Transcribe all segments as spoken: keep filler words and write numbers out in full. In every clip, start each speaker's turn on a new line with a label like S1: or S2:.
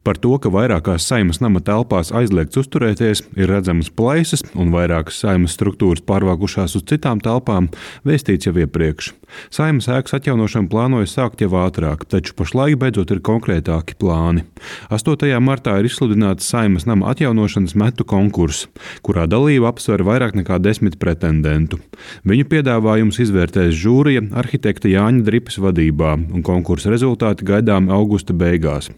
S1: Par to, ka vairākās Saeimas nama telpās aizliegts uzturēties, ir redzamas plaisas un vairākas Saeimas struktūras pārvākušās uz citām telpām, vēstīts jau iepriekš. Saeimas ēkas atjaunošanu plānoja sākt jau ātrāk, taču pašlaik beidzot ir konkrētāki plāni. astotajā martā ir izsludināts Saeimas nama atjaunošanas metu konkurss, kurā dalību apsver vairāk nekā desmit pretendentu. Viņu piedāvājums izvērtēs žūrija arhitekta Jāņa Dripas vadībā, un konkursa rezultāti gaidām augusta beigās.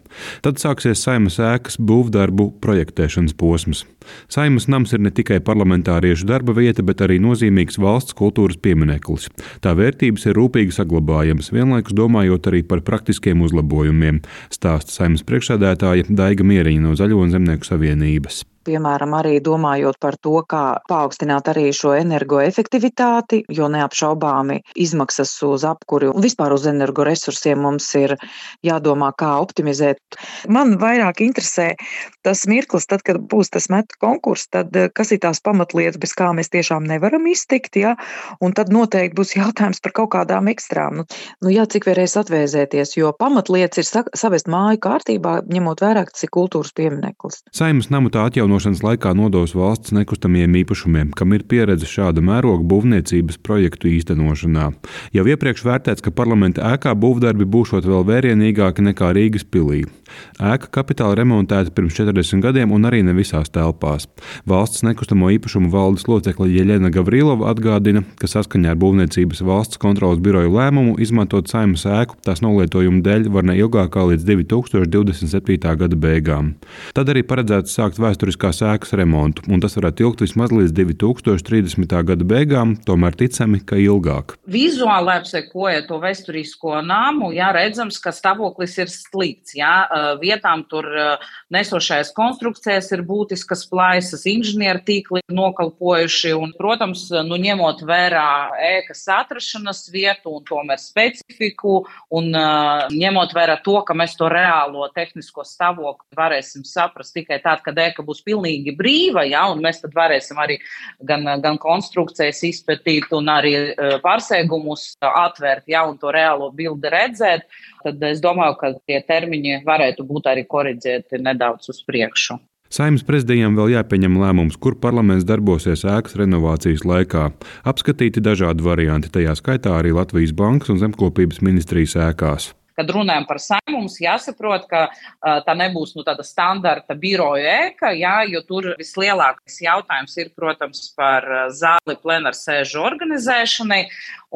S1: Tad sāksies Saeimas ēkas būvdarbu projektēšanas posms. Saeimas nams ir ne tikai parlamentāriešu darba vieta, bet arī nozīmīgs valsts kultūras piemineklis. Tā vērtības ir rūpīgi saglabājamas, vienlaikus domājot arī par praktiskiem uzlabojumiem, stāsta Saeimas priekšsēdētāja Daiga Mieriņa no Zaļo un Zemnieku savienības.
S2: Piemēram, arī domājot par to, kā paaugstināt arī šo energoefektivitāti, jo neapšaubāmi izmaksas uz apkuri un vispār uz energoresursiem mums ir jādomā, kā optimizēt. Man vairāk interesē tas mirklis, tad, kad būs tas metu konkurss, tad kas ir tās pamatlietas, bez kā mēs tiešām nevaram iztikt, ja? Un tad noteikti būs jautājums par kaut kādām ekstrām. Nu, nu jā, cik varēs atvēzēties, jo pamatlietas ir savest māju kārtībā, ņemot vērā, tas ir kultūras piemineklis.
S1: Saeimas namu tā atjaunošanas laikā nodos valsts nekustamiem īpašumiem, kam ir pieredze šāda mēroga būvniecības projektu īstenošanā. Jau iepriekš vērtēts, ka parlamenta ēkā būvdarbi būšot vēl vērienīgāki nekā Rīgas pilī. Ēka kapitāli remontēta pirms četrdesmit gadiem un arī ne visās telpās. Valsts nekustamo īpašumu valdes locekle Jeļena Gavrilova atgādina, ka saskaņā ar būvniecības valsts kontroles biroju lēmumu izmantot Saeimas ēku tās nolietojumu dēļ var ne ilgāk kā līdz divi tūkstoši divdesmit septītā gada beigām. Tad arī paredzēts sākt vēsturiskās ēkas remontu, un tas varētu ilgt vismaz līdz divi tūkstoši trīsdesmitā gada beigām, tomēr ticami, ka ilgāk.
S3: Vizuāli apsekoja to vēsturisko nāmu, jā, redzams, ka stāvoklis ir slikts, jā, vietām tur nesošais konstrukcijas ir būtiskas plaisas, inženieru tīkli nokalpojuši, un, protams, nu, ņemot vērā ēkas atrašanas vietu un tomēr specifiku, un uh, ņemot vērā to, ka mēs to reālo tehnisko stāvokli varēsim saprast tikai tad, kad ēka būs pilnīgi brīva, ja, un mēs tad varēsim arī gan, gan konstrukcijas izpētīt un arī uh, pārsēgumus atvērt, ja, un to reālo bildi redzēt, tad es domāju, ka tie termiņi varētu būt arī koriģēti nedaudz uz priekšu.
S1: Saeimas prezidijam vēl jāpieņem lēmums, kur parlaments darbosies ēkas renovācijas laikā. Apskatīti dažādi varianti, tajā skaitā arī Latvijas Bankas un Zemkopības ministrijas ēkās.
S3: Kad runājam par Saeimu, mums jāsaprot, ka uh, tā nebūs nu, tāda standarta biroja ēka, jā, jo tur vislielākais jautājums ir, protams, par zāli plenārsēžu organizēšanai,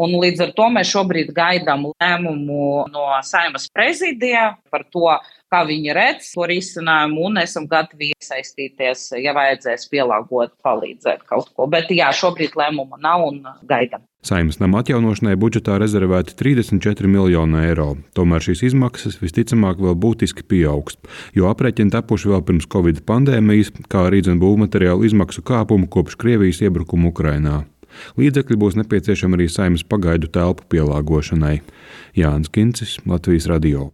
S3: un līdz ar to mēs šobrīd gaidām lēmumu no Saeimas prezidija par to, kā viņi redz to risinājumu, un esam gatavi iesaistīties, ja vajadzēs pielāgot, palīdzēt kaut ko. Bet jā, šobrīd lēmuma nav un gaidām.
S1: Saeimas nama atjaunošanai budžetā rezervēti trīsdesmit četri miljoni eiro. Tomēr šīs izmaksas visticamāk vēl būtiski pieaugs, jo aprēķini tapuši vēl pirms Covid pandēmijas, kā arī dzen būvmateriālu izmaksu kāpumu kopš Krievijas iebrukuma Ukrainā. Līdzekļi būs nepieciešami arī Saeimas pagaidu telpu pielāgošanai. Jānis Kincis, Latvijas radio.